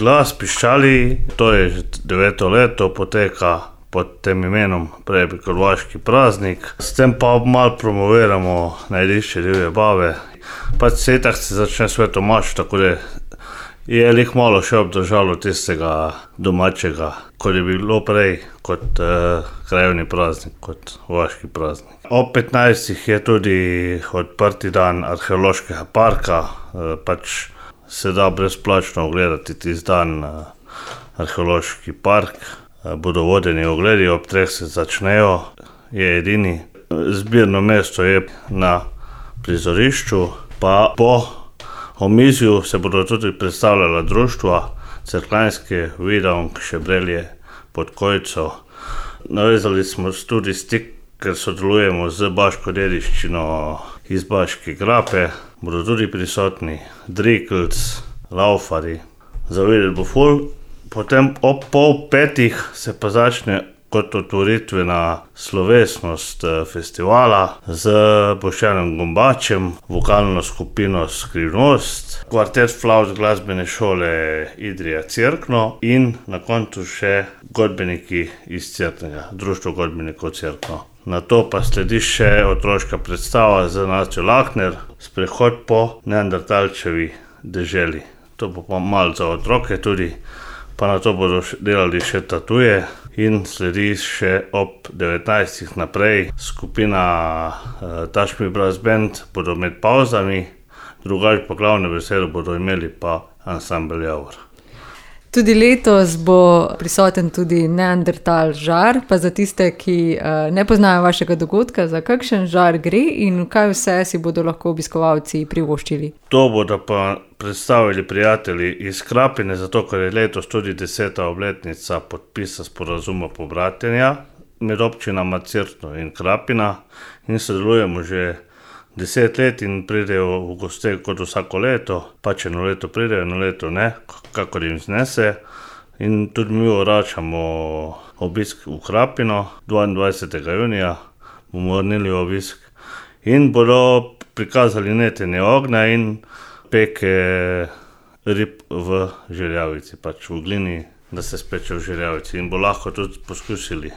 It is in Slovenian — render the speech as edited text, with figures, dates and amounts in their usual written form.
glas Piščali, to je že 9. leto, poteka pod tem imenom, prej Krkonoški praznik. S tem pa malo promoviramo najdišče divje bave. Pač itak se začne Sveto mašo, tako da je lih malo še obdržalo tistega domačega, kot je bilo prej, kot krajevni praznik, kot vojaški praznik. Ob 15. je tudi odprti dan arheološkega parka, pač se da brezplačno ogledati tisti dan arheološki park. Bodo vodeni ogledi, ob 3 se začnejo, je edini. Zbirno mesto je na prizorišču, pa po omizju se bodo tudi predstavljala društva, Cerkljanske, Vidonk, Šebrelje, Podkojco. Navezali smo tudi stik, ker sodelujemo z baško dediščino iz Baške grape. Bodo tudi prisotni Drikelc, Laufarji. Za videti bo ful. Potem ob 4:30 se pa začne kot otvoritvena slovesnost festivala z Boštjanom Gombačem, vokalno skupino Skrivnost, kvartet flavt glasbene šole Idrija Cerkno in na koncu še godbeniki iz Cerknega, društvo godbenikov Cerkno. Nato pa sledi še otroška predstava z Nastjo Lahner, sprehod po Neandertalčevi deželi. To bo pa malo za otroke tudi, pa nato bodo delali še tatuje in sledi še ob 19. naprej skupina Touch Me Brass Band, bodo med pavzami, drugače pa glavne besede bodo imeli pa ansambel Javor. Tudi letos bo prisoten tudi Neandertal žar, pa za tiste, ki ne poznajo vašega dogodka, za kakšen žar gre in kaj vse si bodo lahko obiskovalci privoščili? To bodo pa predstavili prijatelji iz Krapine, zato ker je letos tudi 10. obletnica podpisa sporazuma pobratenja med občinama Cerkno in Krapina in sodelujemo že 10 let in pridejo v goste kot vsako leto, pač eno leto pridejo, eno leto ne, kakor jim znese. In tudi mi vračamo obisk v Krapino, 22. junija bomo vrnili obisk in bodo prikazali netenje ognja in peke rib v žerjavici, pač v glini, da se speče v žerjavici in bo lahko tudi poskusili.